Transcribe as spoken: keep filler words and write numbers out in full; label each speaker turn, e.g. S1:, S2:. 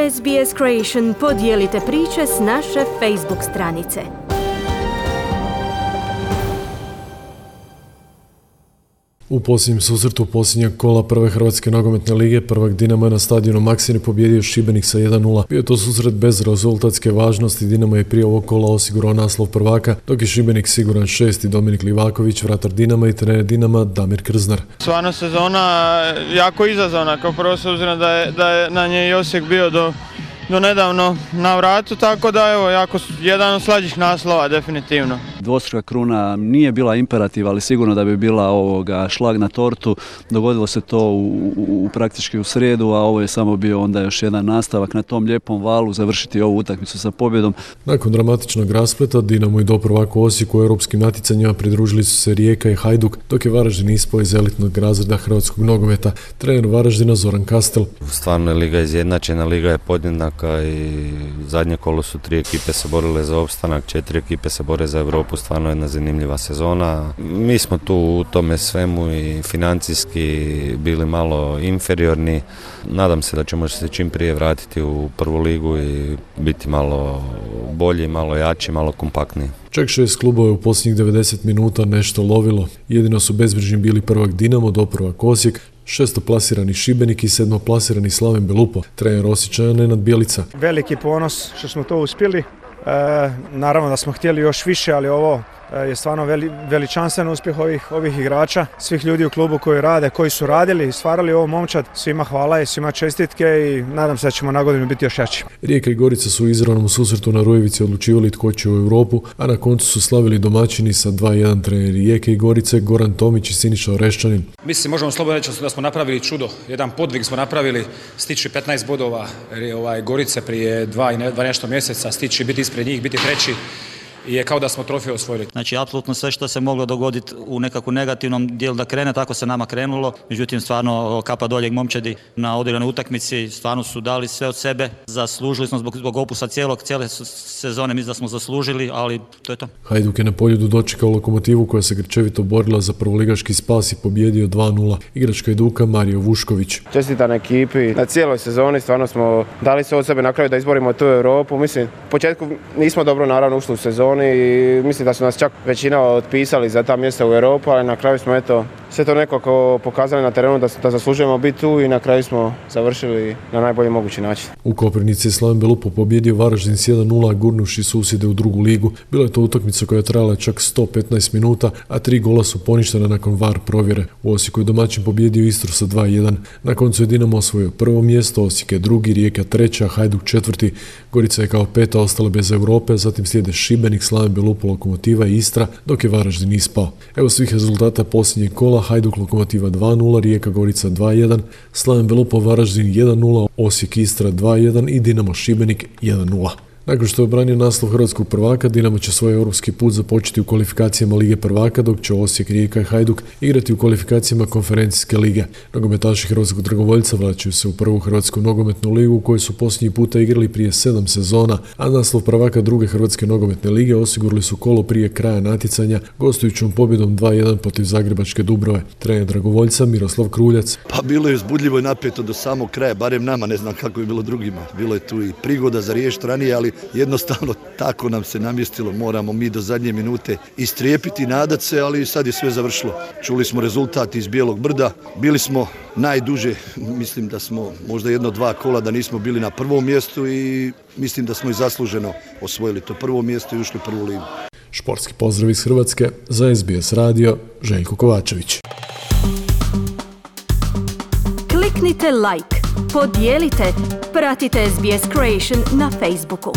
S1: S B S Creation podijelite priče s naše Facebook stranice.
S2: U posljednjem susretu posljednjeg kola prve Hrvatske nogometne lige prvak Dinamo je na stadionu Maksimir pobijedio Šibenik sa jedan nula. Bio je to susret bez rezultatske važnosti, Dinamo je prije ovog kola osigurao naslov prvaka, dok je Šibenik siguran šesti. Dominik Livaković, vratar Dinama i trener Dinama Damir Krznar.
S3: Stvarno sezona jako izazovna, kao prvo s obzirom da je, da je na nje i Osijek bio do, do nedavno na vratu, tako da evo, jako jedan od slađih naslova definitivno.
S4: Dvostruka kruna nije bila imperativ, ali sigurno da bi bila ovoga šlag na tortu. Dogodilo se to u, u, u praktički u srijedu, a ovo je samo bio onda još jedan nastavak na tom lijepom valu, završiti ovu utakmicu sa pobjedom.
S2: Nakon dramatičnog raspleta Dinamo i doprvak u Osijeku u europskim natjecanjima pridružili su se Rijeka i Hajduk, dok je Varaždin ispao iz elitnog razreda hrvatskog nogometa. Trener Varaždina Zoran Kastel.
S5: Stvarno je liga izjednačena, liga je podjednaka i zadnje kolo su tri ekipe se borile za opstanak, četiri ekipe se bore za Europu. Stvarno jedna zanimljiva sezona. Mi smo tu u tome svemu i financijski bili malo inferiorni. Nadam se da ćemo se čim prije vratiti u prvu ligu i biti malo bolji, malo jači, malo kompaktniji.
S2: Čak šest klubova u posljednjih devedeset minuta nešto lovilo. Jedino su bezbrižni bili prvak Dinamo, doprvak Osijek, šestoplasirani Šibenik i sedmoplasirani Slaven Belupo. Trener Osječana Nenad Bjelica.
S6: Veliki ponos što smo to uspjeli. E, naravno da smo htjeli još više, ali ovo je stvarno veli, veličanstven uspjeh ovih, ovih igrača, svih ljudi u klubu koji rade, koji su radili i stvarali ovo momčad. Svima hvala i svima čestitke i nadam se da ćemo na godinu biti još jači.
S2: Rijeka i Gorica su u izravnom susretu na Rujevici odlučivali tko će u Europu, a na koncu su slavili domaćini sa dva jedan. Treneri Rijeke i Gorice Goran Tomić i Siniša Oreščanin.
S7: Mislim, možemo slobodno reći da smo napravili čudo, jedan podvig smo napravili, stići petnaest bodova ovaj, Gorice prije dva i dva nešto mjeseca, stići biti ispred njih, biti treći. I je kao da smo trofej osvojili.
S8: Znači, apsolutno sve što se moglo dogoditi u nekakvom negativnom dijelu da krene, tako se nama krenulo. Međutim, stvarno kapa doljeg momčadi na odigranoj utakmici, stvarno su dali sve od sebe. Zaslužili smo zbog, zbog opusa cijelog, cijele sezone, mislim da smo zaslužili, ali to je to.
S2: Hajduk je na Poljudu dočekao Lokomotivu koja se grčevito borila za prvoligaški spas i pobjedio dva nula. Igrač Hajduka Mario Vušković.
S9: Čestitam ekipi na cijeloj sezoni, stvarno smo dali sve od sebe na kraju da izborimo tu Europu. Mislim, u početku nismo dobro naravno ušli u sezoni i mislim da su nas čak većina otpisali za ta mjesta u Europu, ali na kraju smo eto sve to nekako pokazali na terenu da, da zaslužujemo biti tu i na kraju smo završili na najbolji mogući način.
S2: U Koprivnici je Slaven Belupo pobjedio Varaždin s jedan nula, gurnuši susjede u drugu ligu. Bila je to utakmica koja je trajala čak sto petnaest minuta, a tri gola su poništena nakon var provjere. U Osijeku je domaćin pobjedio Istru sa dva jedan. Na koncu je Dinamo osvojio prvo mjesto, Osijek je drugi, Rijeka treća, Hajduk četvrti. Gorica je kao peta ostala bez Europe, zatim slijede Šibenik, Slaven Belupo, Lokomotiva i Istra, dok je Varaždin ispao. Evo svih rezultata posljednjeg kola: Hajduk Lokomotiva dva nula, Rijeka Gorica dva jedan, Slaven Belupo Varaždin jedan nula, Osijek Istra dva jedan i Dinamo Šibenik jedan nula. Nakon što je obranio naslov hrvatskog prvaka, Dinamo će svoj europski put započeti u kvalifikacijama Lige prvaka, dok će Osijek, Rijeka i Hajduk igrati u kvalifikacijama Konferencijske lige. Nogometaši hrvatskog dragovoljca vraćaju se u prvu hrvatsku nogometnu ligu u kojoj su posljednji puta igrali prije sedam sezona, a naslov prvaka druge hrvatske nogometne lige osigurali su kolo prije kraja natjecanja gostujućom pobjedom dva jedan protiv Zagrebačke Dubrove. Trener dragovoljca Miroslav Kruljac.
S10: Pa bilo je uzbudljivo i napeto do samog kraja, barem nama, ne znam kako je bilo drugima. Bilo je tu i prigoda za riješiti ranije, ali jednostavno tako nam se namjestilo, moramo mi do zadnje minute istrijepiti, nadat se, ali sad je sve završilo. Čuli smo rezultat iz Bijelog brda, bili smo najduže, mislim da smo možda jedno dva kola da nismo bili na prvom mjestu i mislim da smo i zasluženo osvojili to prvo mjesto i ušli u prvu ligu.
S2: Športski pozdrav iz Hrvatske, za S B S radio, Željko Kovačević.
S1: Kliknite like, podijelite, pratite S B S Creation na Facebooku.